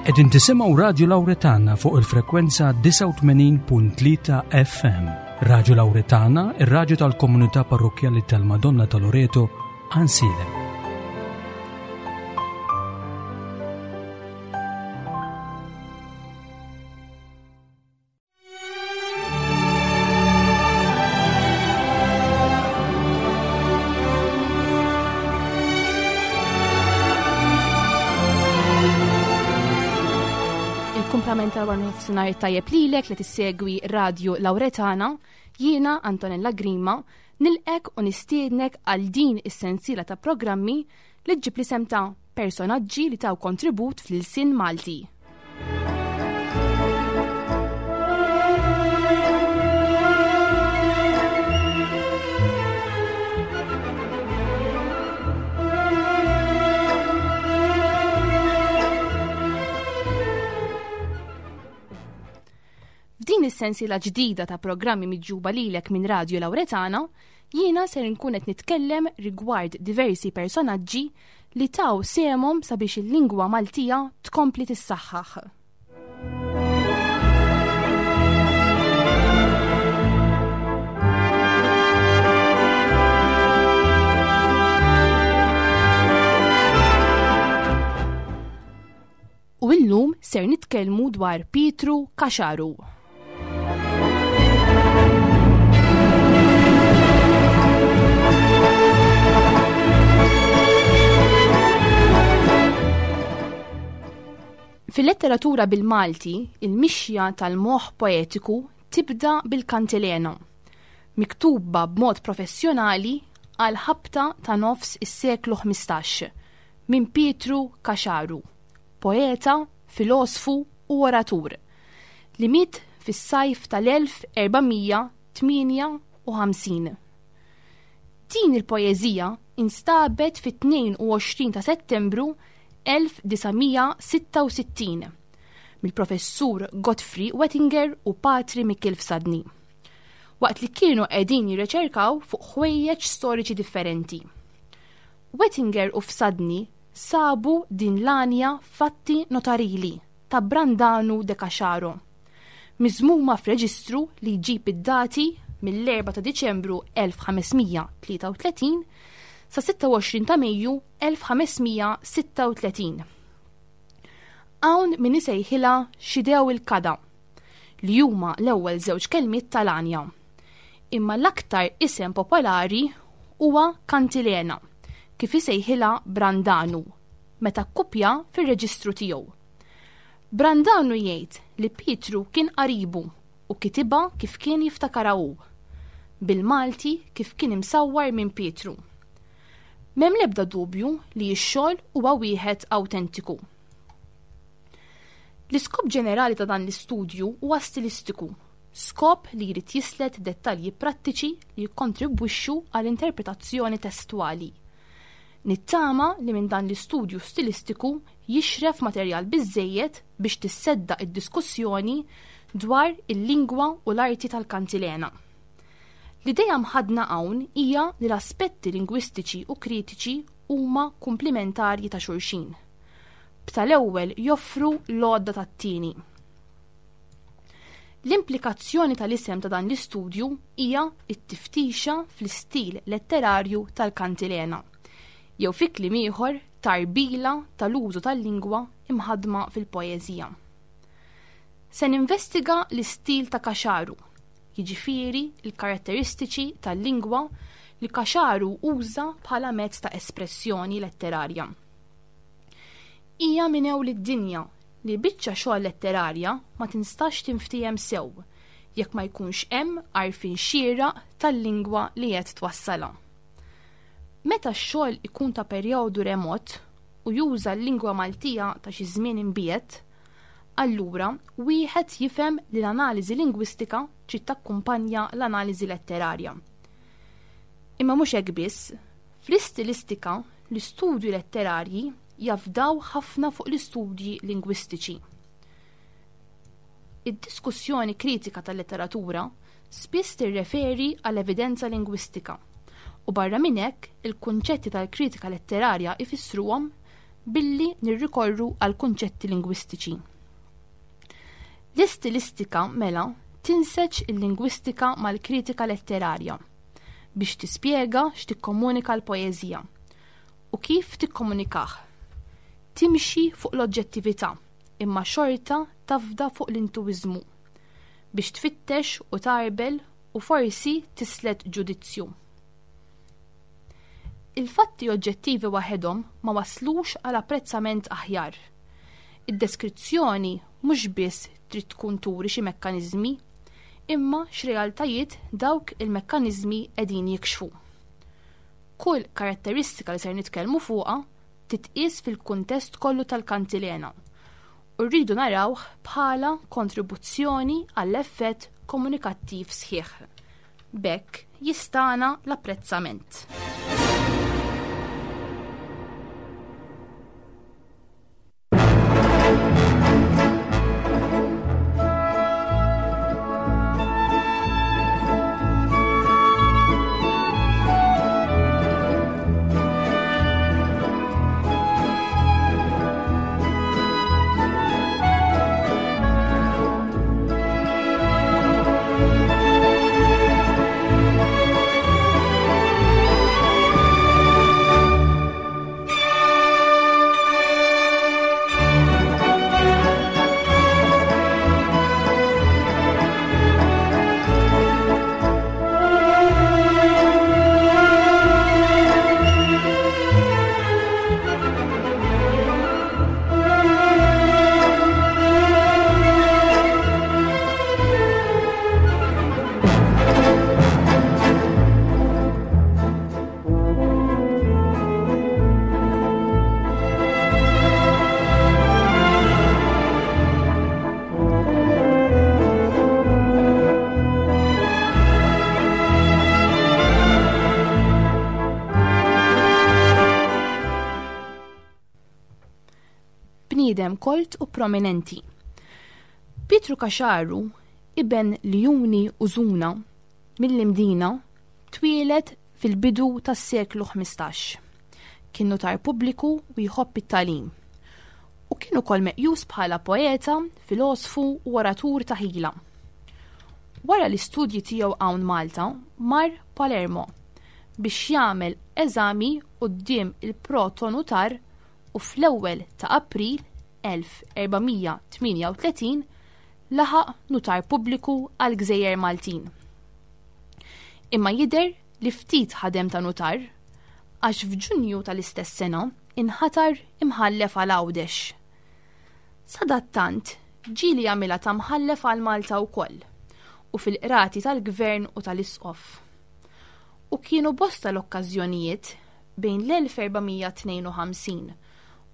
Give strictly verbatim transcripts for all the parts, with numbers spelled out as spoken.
Qegħdin tisimgħu Radio Lauretana fuq il-frekwenza disgħa u tmenin punt tlieta F M. Radio Lauretana, ir-radju tal-Komunità Parrokkjali tal-Madonna ta' Loreto, Għajnsielem. Il-kumplament tal-wara nofsinhar tajjeb lilek li tissegwi Radio Lauretana, jiena Antonella Grima, nilqgħek u nistiednek għal din is-sensiela ta' programmi li ġġib l-isem ta' personaġġi li taw kontribut fl-ilsien Malti. F'din is-sensiela ġdida ta' programmi miġjuba lilek minn Radio Lauretana, jiena ser nkun qed nitkellem rigward diversi personaġġi li taw sehemhom sabiex il-lingwa Maltija tkompli tissaħħaħ. U illum ser nitkellmu dwar Pietru Caxaru. Fil-letteratura bil-Malti, il-mixja tal-moħ poetiku tibda bil-kantilena, miktuba b'mod professjonali għal ħabta ta' nofs is-seklu ħmistax minn Pietru Caxaru, poeta, filosfu u oratur, li miet fis-sajf tal-elf erba' mija tmienja u ħamsin. Din il-poeżija instabet fit-tnejn u għoxrin ta' Settembru elf disa' mija sitta u sittin mill-professur Godfrey Wettinger u Patri Mikiel Fsadni, waqt li kienu qegħdin jirriċerkaw fuq ħwejjeġ storiċi differenti. Wettinger u Fsadni sabu din l-għanja f'atti notarili ta' Brandanu de Caxaro, miżmuma f'reġistru li jġib id-dati mill-erbgħa ta' Diċembru elf ħames mija tlieta u tletin sa sitta u għoxrin ta' Mejju elf ħames mija sitta u tletin. Hawn min isejħilha xidew il-kada, li huma l-ewwel żewġ kelmiet tal-għanja. Imma l-aktar isem popolari huwa kantilena, kif isejħilha Brandanu, meta kkupja fir-reġistru tiegħu. Brandanu jgħid li Pietru kien qaribu u kitibha kif kien jiftakarha hu, bil-Malti kif kien imsawwar minn Pietru. M'hemm l-ebda dubju li x-xogħol huwa wieħed awtentiku. L-iskop ġenerali ta' dan l-istudju huwa stilistiku, skop li jrid jislet dettalji prattiċi li jikkontribwixxu għall interpretazzjoni testwali. Nittama li minn dan l-istudju stilistiku jixref materjal biżejjed biex tissedda id-diskussjoni dwar il-lingwa u l-arti tal-kantilena. L-idea mħaddna hawn hija li l-aspetti lingwistiċi u kritiċi huma komplementarji ta' xulxin. B'tal-ewwel joffru l-għodda tat-tieni. L-implikazzjoni tal-isem ta' dan l-istudju hija t-tiftixa fl-istil letterarju tal-kantilena, jew fi kliem ieħor tarbila tal-użu tal-lingwa imħaddma fil-poeżija. Se ninvestiga l-istil ta' Caxaru, jiġifieri l-karatteristiċi tal-lingwa li Caxaru uża bħala mezz ta' espressjoni letterarja. Hija minn ewl id-dinja li biċċa xogħol letterarja ma tinstax tinftiehem sew jekk ma jkunx hemm għarfien xieraq tal-lingwa li qed twassalha. Meta x-xogħol ikun ta' perjodu remot u juża l-lingwa Maltija ta' xi żmien imbiet, allura wieħed jifhem li l-analiżi lingwistika trid takkumpanja l-analiżi letterarja. Imma mhux hekk biss, fl-istilistika l-istudji letterarji jafdaw ħafna fuq l-istudji lingwistiċi. Id-diskussjoni kritika tal-letteratura spiss tirreferi għal evidenza lingwistika u barra minn hekk il-kunċetti tal-kritika letterarja ifissruhom billi nirrikorru għal kunċetti lingwistiċi. L-istilistika mela tinseġ il-lingwistika mal-kritika letterarja biex tispjega x'tikkomunika l-poeżija u kif tikkomunikah. Timxi fuq l-oġġettività imma xorta tafda fuq l-intuiżmu biex tfittex u tarbel u forsi tislet ġudizzju. Il-fatti oġġettivi waħedhom ma waslux għal apprezzament aħjar. Id-deskrizzjoni mhux biss trid tkun turi xi mekkaniżmi, imma x'realtajiet dawk il-mekkaniżmi qegħdin jikxfu. Kull karatteristika li ser nitkellmu fuqha titqies fil-kuntest kollu tal-kantilena u rridu narawh bħala kontribuzzjoni għall-effett komunikattiv sħiħ. B'hekk jistana l-apprezzament. Bniedem kolt u prominenti. Pietru Caxaru, iben Ljuni u Żuna mill-Imdina, twieled fil-bidu tas-seklu ħmistax. Kien notar pubbliku u jħobb it-tagħlim. U kien ukoll meqjus bħala poeta, filosfu u oratur ta' ħila. Wara l-istudji tiegħu hawn Malta, mar Palermo biex jagħmel eżami quddiem il-protonotar u fl-ewwel ta' April elf erbamija tmienja u tletin laħaq notar pubbliku għal Gżejjer Maltin. Imma jidher li ftit ħadem ta' notar għax f'Ġunju tal-istess sena inħatar imħallef għal Għawdex. Sadattant ġieli jagħmilha ta' mħallef għal Malta wkoll u fil-qrati tal-Gvern u tal-Isqof. U kienu bosta l-okkażjonijiet bejn l-elf erbamija tnejn u ħamsin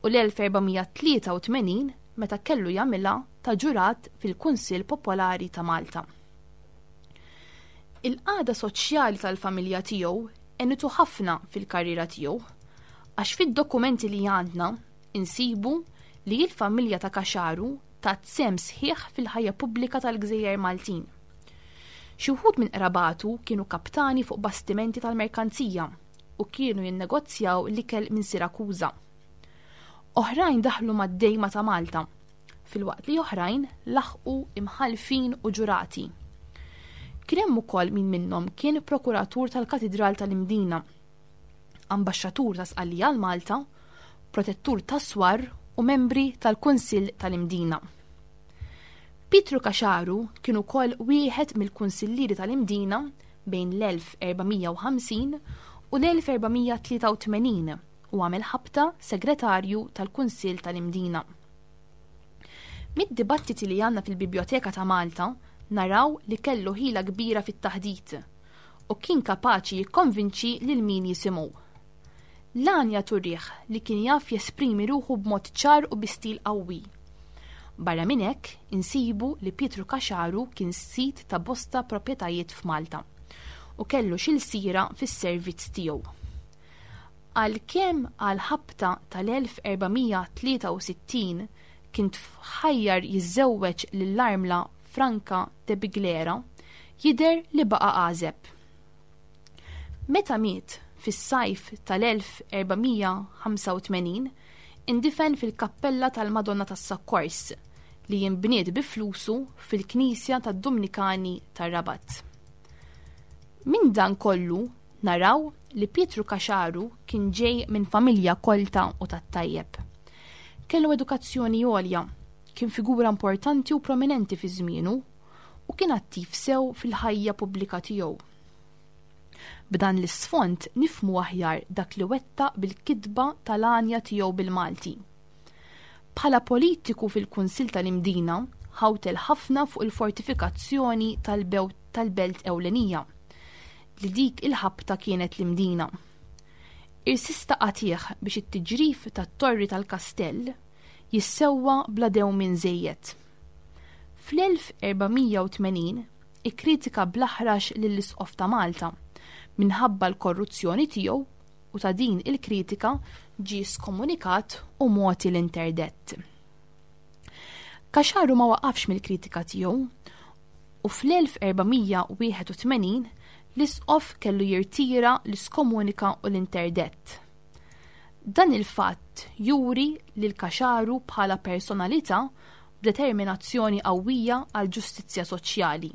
u l-elf erbamija tlieta u tmenin meta kellu jagħmilha ta' ġurat fil-Kunsill Popolari ta' Malta. Il-qagħda soċjali tal-familja tiegħu għenitu ħafna fil-karriera tiegħu, għax fid-dokumenti li għandna insibu li l-familja ta' Caxaru tat sehem sħiħ fil-ħajja pubblika tal-Gżejjer Maltin. Xi wħud minn qrabatu kienu kaptani fuq bastimenti tal-merkanzija u kienu jinnegozjaw l-ikel minn Sirakuża. Oħrajn daħlu mad-dejma ta' Malta, filwaqt li oħrajn laħqu imħalfin u ġurati. Kien hemm ukoll min minnhom kien prokuratur tal-Katidral tal-Imdina, ambaxxatur ta' Sqallija għal Malta, protettur tas-Swar u membri tal-Kunsill tal-Imdina. Pietru Caxaru kien ukoll wieħed mill-kunsillieri tal-Imdina bejn l-elf erbamija u ħamsin u l-elf erbamija tlieta u tmenin u għamel ħabta segretarju tal-Kunsill tal-Imdina. Mid-dibattiti li għandna fil-Biblioteka ta' Malta naraw li kellu ħila kbira fit-taħdit u kien kapaċi jikkonvinċi lil min jisimgħu. L-għanja turih li kien jaf jesprimi ruħu b'mod ċar u bi stil qawwi. Barra minn hekk insibu li Pietru Caxaru kien sid ta' bosta proprjetajiet f'Malta u kellu xi lsira fis-servizz tiegħu. Għalkemm għal ħabta tal-elf erbamija tlieta u sittin kien tħajjar jiżżewweġ lill-armla Franca de Biglera, jidher li baqa' għażeb. Meta miet fis-sajf tal-elf erbamija ħamsa u tmenin, Indifen fil-kappella tal-Madonna tas-Sakkors li jinbniet bi flusu fil-Knisja tad-Dumnikani tar-Rabat. Minn dan kollu naraw li Pietru Caxaru kien ġej minn familja kolta u tat-tajjeb. Kellu edukazzjoni għolja, kien figura importanti u prominenti fi żmienu u kien attiv sew fil-ħajja pubblika tiegħu. B'dan l-isfond nifhmu aħjar dak li wettaq bil-kitba tal-għanja tiegħu bil-Malti. Bħala politiku fil-Kunsill tal-Imdina ħawtel ħafna fuq il-fortifikazzjoni tal-belt ewlenija, li dik il-ħabta kienet l-Imdina. Irsista qatih biex it-tiġrif tat-torri tal-kastell jissewwa bla dewmien żejjed. Fl-elf erba' mija u tmenin ikkritika bl-aħrax lill-Isqof ta' Malta minħabba l-korruzzjoni tiegħu u ta' din il-kritika ġie skomunikat u mogħti l-interdett. Caxaru ma waqafx mill-kritika tiegħu u fl-elf erba' mija u wieħed u tmenin l-Isqof kellu jirtira l-iskomunika u l-interdett. Dan il-fatt juri lil Caxaru bħala personalità b'determinazzjoni qawwija għal ġustizzja soċjali.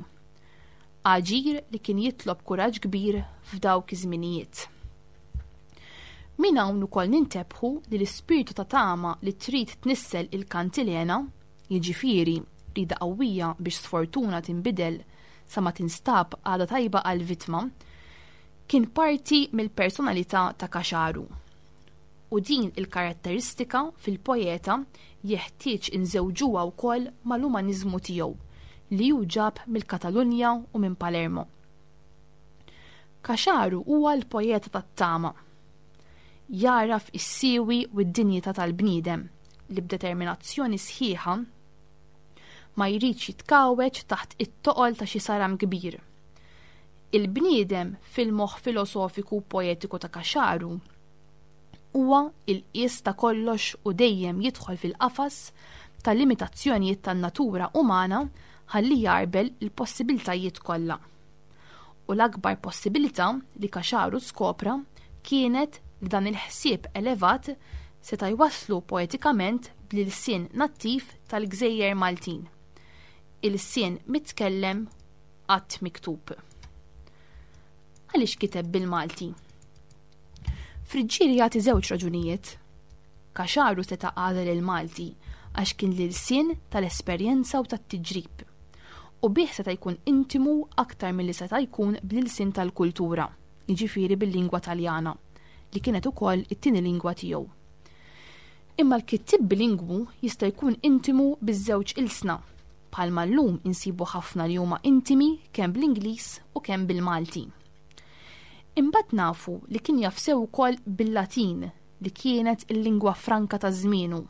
Aġir li kien jitlob kuraġġ kbir f'dawk iż-żminijiet. Min hawn ukoll nintebħu li l-ispirtu ta' tama li trid tnissel il-kantilena, jiġifieri rida qawwija biex sfortuna tinbidel sa ma tinstab għada tajba għal-vittma, kien parti mill-personalità ta' Caxaru. U din il-karatteristika fil-poeta jeħtieġ inżewġuha wkoll mal-umaniżmu tiegħu li hu ġab mill-Katalunja u minn Palermo. Caxaru huwa l-poeta tat-tama. Jaraf is-siwi u d-dinjità tal-bniedem li b'determinazzjoni sħiħa ma jridx jitkawweġ taħt it-toqol ta' xi saram kbir. Il-bniedem fil-moħħ filosofiku u poetiku ta' Caxaru huwa il-qies ta' kollox u dejjem jidħol fil-qafas ta' limitazzjonijiet tan-natura umana ħalli jarbel il-possibiltajiet kollha. U l-akbar possibilità li Caxaru skopra kienet li dan il-ħsieb elevat seta' jwasslu poetikament bl-ilsien nattiv tal-Gżejjer Maltin. Il-sien mitkellem qatt miktub. Għaliex kiteb bil-Malti? Friggieri jagħti żewġ raġunijiet. Caxaru seta' għażel il-Malti għax kien l-ilsien tal-esperjenza u tat-tiġrib. U bih seta' jkun intimu aktar milli seta' jkun bl-ilsien tal-kultura, jiġifieri bil-lingwa Taljana, li kienet ukoll it-tieni lingwa tiegħu. Imma l-kittieb bilingwu jista' jkun intimu biż-żewġ ilsna, bħalma llum insibu ħafna li huma intimi kemm bl-Ingliż u kemm bil-Malti. Imbagħad nafu li kien jaf sew ukoll bil-Latin, li kienet il-lingwa franka ta' żmienu,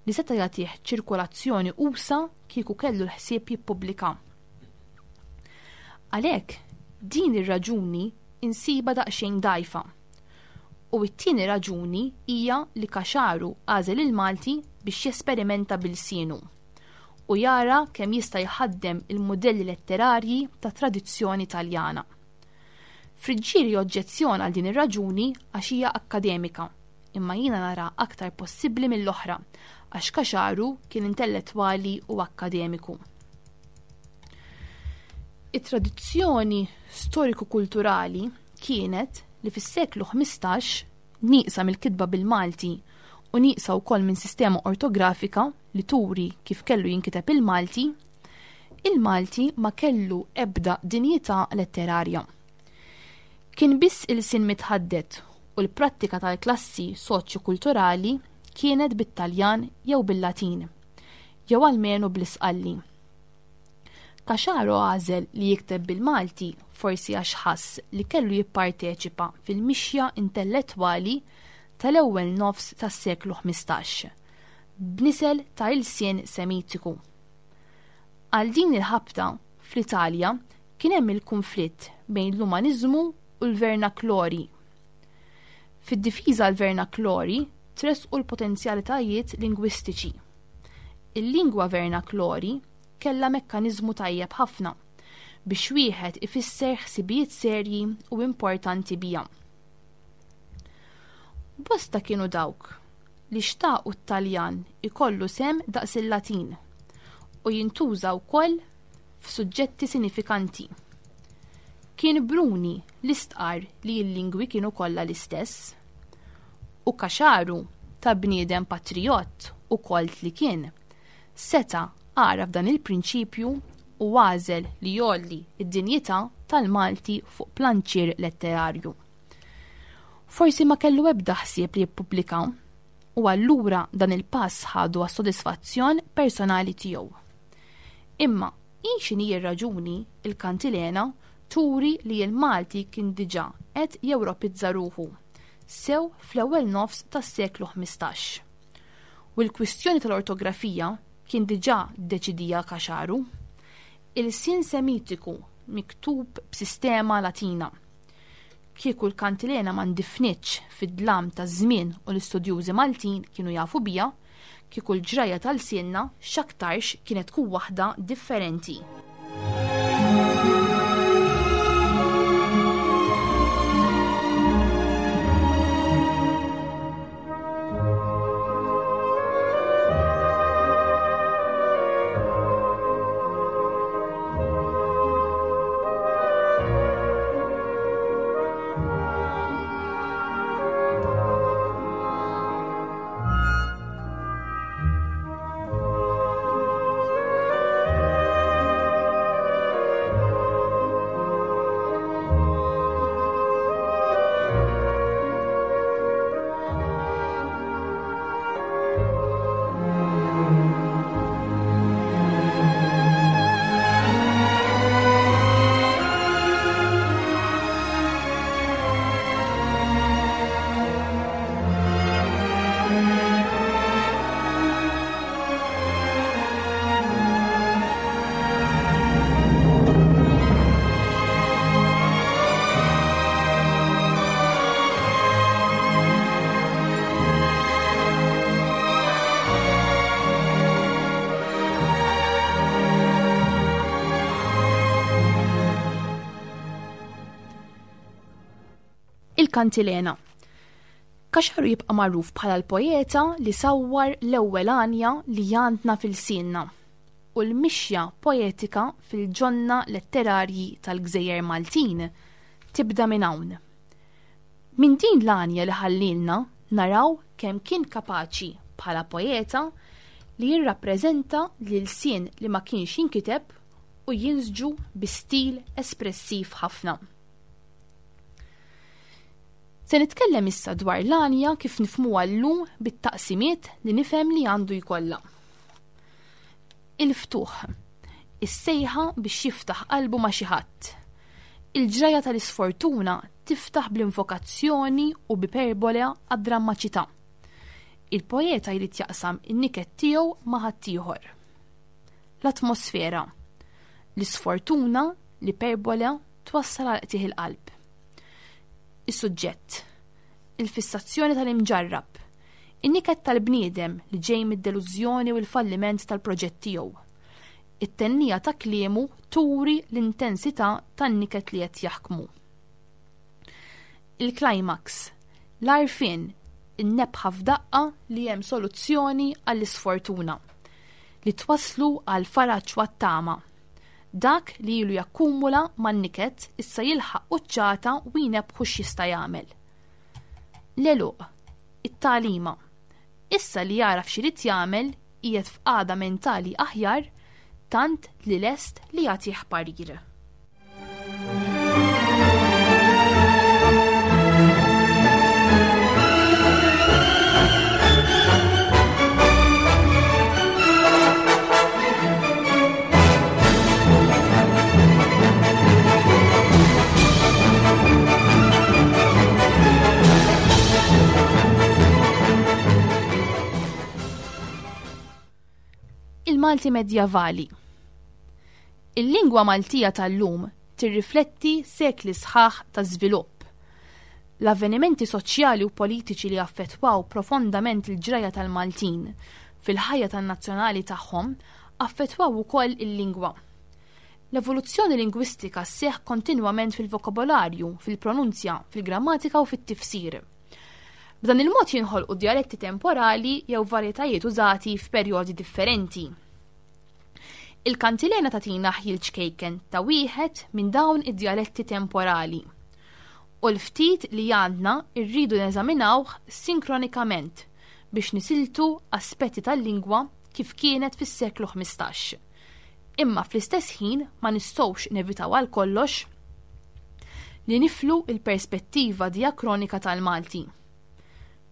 li seta' jagħtih ċirkolazzjoni usa kieku kellu l-ħsieb jippubblika. Għalhekk din ir-raġuni insiba daqsxejn dgħajfa. U t-tieni raġuni hija li Caxaru għażel il-Malti biex jesperimenta bil-sienu u jara kemm jista' jħaddem il-mudelli letterarji ta' tradizzjoni Taljana. Friggieri oġġezzjona għal din ir-raġuni għax hija akkademika, imma jiena nara aktar possibbli mill-oħra għax Caxaru kien intellettwali u akkademiku. It-tradizzjoni storiku-kulturali kienet li fis-seklu ħmistax nieqsa mill-kitba bil-Malti u nieqsa wkoll minn sistema ortografika li turi kif kellu jinkiteb il-Malti, il-Malti ma kellu ebda dinjità letterarja. Kien biss il-sin mitħaddet u l-prattika tal-klassi soċjokulturali kienet bit-Taljan jew bil-Latin, jew almenu bl-Isqalli. Caxaro għażel li jikteb bil-Malti forsi għax ħass li kellu jipparteċipa fil-mixja intellettwali tal-ewwel nofs tas-seklu ħmistax, b'nisel ta' ilsien Semitiku. Għal din il-ħabta fl-Italja kien hemm il-konflitt bejn l-umaniżmu u l-vernaklori. Fid-difiża l-vernaklori tresqu l-potenzjalitajiet lingwistiċi. Il-lingwa vernaklori kellha mekkaniżmu tajjeb ħafna biex wieħed ifisser ħsibijiet serji u importanti biha. Bosta kienu dawk li xtaqu t-Taljan ikollu sehem daqs il-Latin u jintuża wkoll f'suġġetti sinifikanti. Kien Bruni li stqar li l-lingwi kienu kollha l-istess. U Caxaru, ta' bniedem patriot u kolt li kien, seta' għaraf dan il-prinċipju u għażel li jgħolli id-dinjità tal-Malti fuq planċier letterarju. Forsi ma kellu ebda ħsieb li jippubblika u allura dan il-pass ħadu għas-sodisfazzjon personali tiegħu. Imma hi x'inhi r-raġuni, il-Kantilena turi li l-Malti kien diġà qed jewropizza ruħu sew fl-ewwel nofs tas-seklu ħmistax. U l-kwistjoni tal-ortografija kien diġà deċidija Caxaru. Il-sin semitiku miktub b'sistema Latina. Kieku l-Kantilena ma ndifnitx fid-dlam taż-żmien u l-istudjużi Maltin kienu jafu bija, kieku l-ġrajja tal-sienna x'aktarx kienet tkun waħda differenti. Il-Kantilena. Caxaru jibqa' magħruf bħala l-poeta li sawwar l-ewwel għanja li għandna fil-sienna u l-mixja poetika fil-ġonna letterarji tal-Gżejjer Maltin tibda minn hawn. Minn din l-għanja li ħallilna naraw kemm kien kapaċi bħala poeta li jirrappreżenta l-ilsien li ma kienx jinkiteb u jinsġu bi stil espressiv ħafna. Se nitkellem issa dwar l-għanja kif nifhmuha llum bit-taqsimiet li nifhem li għandu jkollha. Il-ftuħ, is-sejħa biex jiftaħ qalbu ma' xi ħadd. Il-ġraja tal-isfortuna tiftaħ bl-invokazzjoni u b'iperbola għad-drammaċità. Il-poeta jrid jaqsam in-niket tiegħu ma' ħaddieħor. L-atmosfera, l-isfortuna, l-iperbola twassal għal qtigħ il-qalb. Is-suġġett, il-fissazzjoni tal-imġarrab, in-niket tal-bniedem li ġej mid-delużjoni u l-falliment tal-proġett tiegħu. It-tennija ta' kliemu turi l-intensità tan-niket li qed jaħkmu. Il-climax, l-għarfien, in-nebħa f'daqqa li hemm soluzzjoni għall-isfortuna li twasslu għal faraġ u għat-tama. Dak li ilu jakkumula man-niket issa jilħaq quċċata u jnebħu x'jista' jagħmel. L-għeluq, it-tagħlima. Issa li jaraf x'irid jagħmel qiegħed f'qagħda mentali aħjar tant li lest li jagħtih parir. Il-Malti Medjavali. Il-lingwa Maltija tal-lum tirrifletti sekli sħaħ ta' żvilupp. L-avvenimenti soċjali u politiċi li affettwaw profondament il-ġrajja tal-Maltin fil-ħajja tan-nazzjonali tagħhom affettwaw ukoll il-lingwa. L-evoluzzjoni lingwistika sseħħ kontinwament fil-vokabolarju, fil-pronunzja, fil-grammatika u fit-tifsir. B'dan il-mod jinħolqu djaletti temporali jew varjetajiet użati f'perjodi differenti. Il-kantilena tagħtina ħjiel ċkejken ta' wieħed minn dawn id-djaletti temporali. U l-ftit li għandna rridu neżaminawh sinkronikament biex nisiltu aspetti tal-lingwa kif kienet fis-seklu ħmistax. Imma fl-istess ħin ma nistgħux nevitaw għal kollox li niflu il-perspettiva diakronika tal-Malti.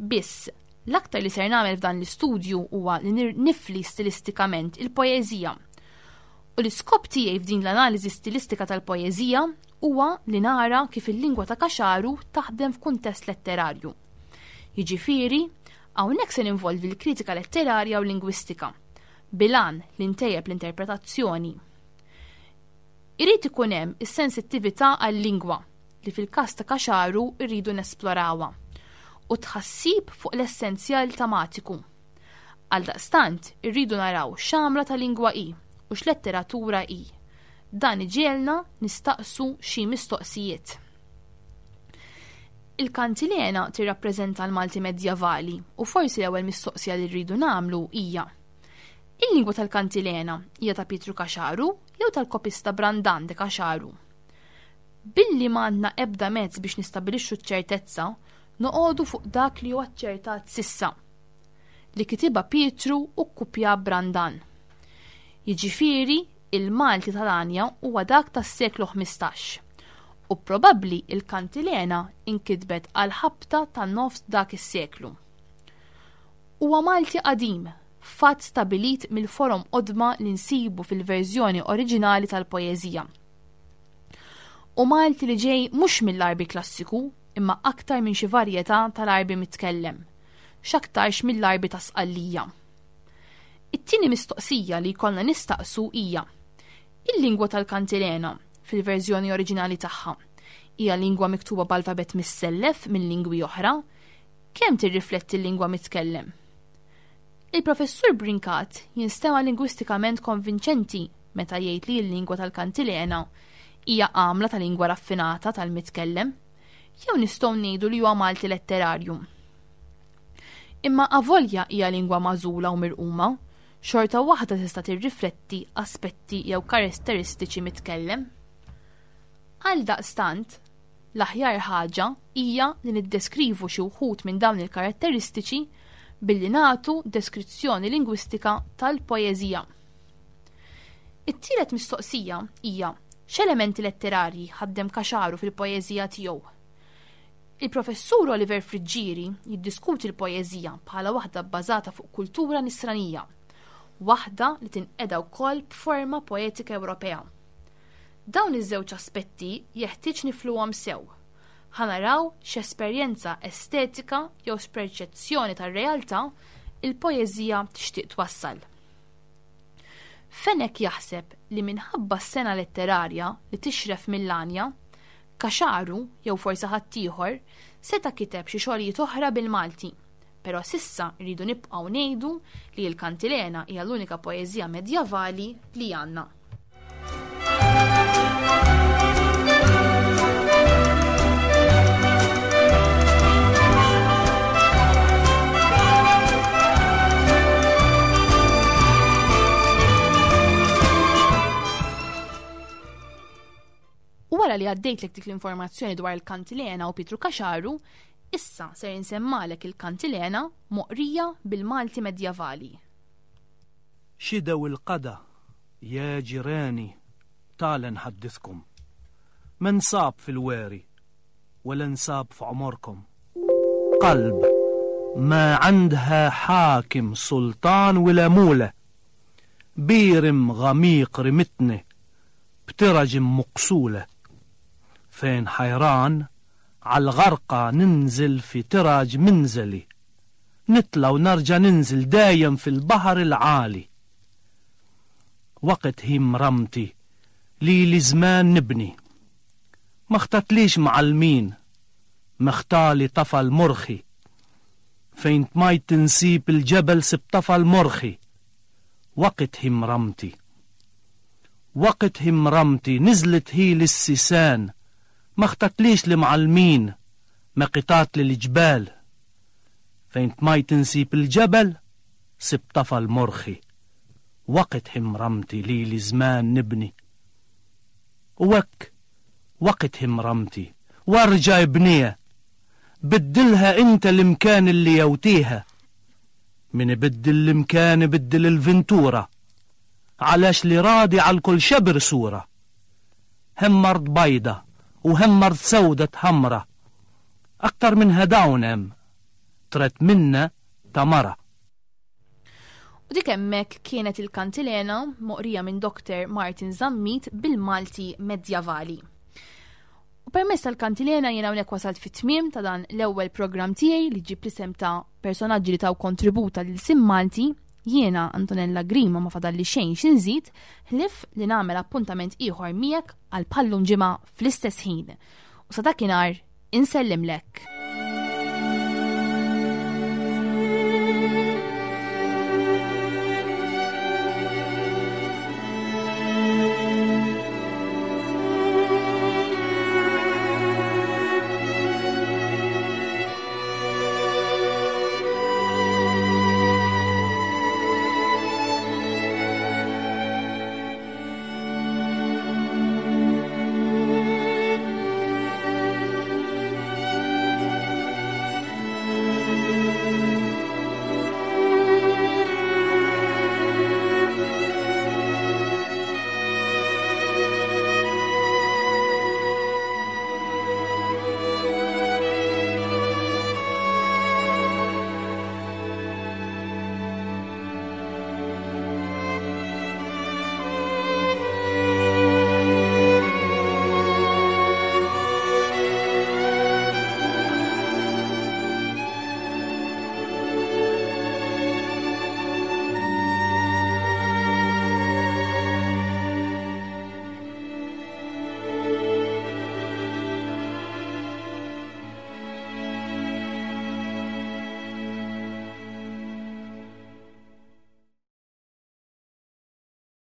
Biss, l-aktar li ser nagħmel f'dan l-istudju huwa li nifli stilistikament il-poeżija. U l-iskop tiegħi f'din l-analiżi stilistika tal-poeżija huwa li nara kif il-lingwa ta' Caxaru taħdem f'kuntest letterarju. Jiġifieri, hawnhekk se ninvolvi l-kritika letterarja u lingwistika, bilan li ntejjeb l-interpretazzjoni. Irid ikun hemm is-sensittività għal-lingwa li fil-każ ta' Caxaru rridu nesplorawha u tħassib fuq l-essenzjal tematiku. Għaldaqstant, irridu naraw x'għamla ta' lingwa hi u x'letteratura hi. Dan iġiegħelna nistaqsu xi mistoqsijiet. Il-kantilena tirrappreżenta l-Malti medjavali u forsi l-ewwel mistoqsija li rridu nagħmlu hija: il-lingwa tal-kantilena hija ta' Pietru Caxaru jew tal-kopista Brandan de Caxaru? Billi m'għandna ebda mezz biex nistabilixxu ċ-ċertezza, noqogħdu fuq dak li huwa aċċertat sissa, li kitibha Pietru u kkupja Brandan. Jiġifieri, il-Malti tal-Anja huwa dak tas-seklu ħmistax u probabbli il-kantilena inkitbet għal ħabta ta' nofs dak is-seklu. Huwa Malti qadim, fatt stabilit mill-forom qodma li nsibu fil-verżjoni oriġinali tal-poeżija. U Malti li ġej mhux mill-Għarbi klassiku, imma aktar minn xi varjetà tal-Għarbi mitkellem, x'aktarx mill-Għarbi ta' Sqallija. It-tieni mistoqsija li jkollna nistaqsu hija: il-lingwa tal-kantilena fil-verżjoni oriġinali tagħha hija lingwa miktuba b'alfabet missellef minn lingwi oħra? Kemm tirrifletti l-lingwa mitkellem? Il-professur Brincat jinstema' lingwistikament konvinċenti meta jgħid li l-lingwa tal-kantilena hija għamla ta' lingwa raffinata tal-mitkellem, jew nistgħu ngħidu li huwa Malti letterarju. Imma avolja hija lingwa magħżula u mirquma, xorta waħda tista' tirrifletti aspetti jew karatteristiċi mitkellem. Għal daqstant, l-aħjar ħaġa hija li niddeskrivu xi wħud minn dawn il-karatteristiċi billi nagħtu deskrizzjoni lingwistika tal-poeżija. It-tielet mistoqsija hija x'elementi letterarji ħaddem Caxaru fil-poeżija tiegħu. Il-professur Oliver Friggieri jiddiskuti l-poeżija bħala waħda bbażata fuq kultura nisranija, waħda li tinqeda wkoll b'forma poetika Ewropea. Dawn iż-żewġ aspetti jeħtieġ nifluhom sew. Ħa naraw x'esperjenza estetika jew perċezzjoni tar-realtà il-poeżija tixtieq twassal. Fenech jaħseb li minħabba s-sena letterarja li tixref mill-Anja, Caxaru jew forsi ħaddieħor seta' kiteb xi xogħlijiet oħra bil-Malti, però sissa rridu nibqgħu ngħidu li l-kantilena hija l-unika poeżija medjavali li għandna. U wara li għaddejtlek dik l-informazzjoni dwar il-kantilena u Pietru Caxaru, issa ser insemmalek il-kantilena moqrija bil-Malti medjavali. Xidew il-qada, ja ġirani, talen ħaddithkom. Men sab fil-weri, wala nsab f'għomorkom. Qalb ma għandha ħakim sultan wala mula. Birim għamiq rimitni, btiraġ muqsula. Fejn ħajran, għal-għarqa ninżil fi tiraġ minżeli. Nitla u narġa ninżil dajem fil-baħar il-għali. Waqt him ramti li li zman nibni. Ma ħtatlix ma'almin, meħtali tafal morħi. Fejn tmajt tinsib il-ġebel sib tafal morħi. Waqt him ramti. Waqt him ramti nizlet hi l-sisan. Ma ħtatlix li ma'almin, ma qitat li l-ġbal. Fejn tmajt insib il-ġebel, sib tafal morħi. Waqt himramti li li żman nibni. U hekk waqt himramti, warġa ibniha. Biddilha inta l-imkan اللي يوتيها. من يبدل الإمكان يبدل الفنتورة. علاش اللي راضي على الكل شبر صورة. هم مرض بيضة وهم مرض سودة حمرة. أكتر من هداون أم ترت منا تمرة. U dik hemmhekk kienet il-kantilena moqrija minn Doktor Martin Zammit bil-Malti Medjavali. U permezz tal-kantilena jiena hawnhekk wasalt fit-tmiem ta' dan l-ewwel programm tiegħi li ġib l-isem ta' personaġġi li taw kontributa lil sim Malti. Jiena Antonella Grima ma fadalli xejn x'inżid ħlief li nagħmel appuntament ieħor miegħek għal bħallum ġimgħa fl-istess ħin. U sa dakinhar insellimlek.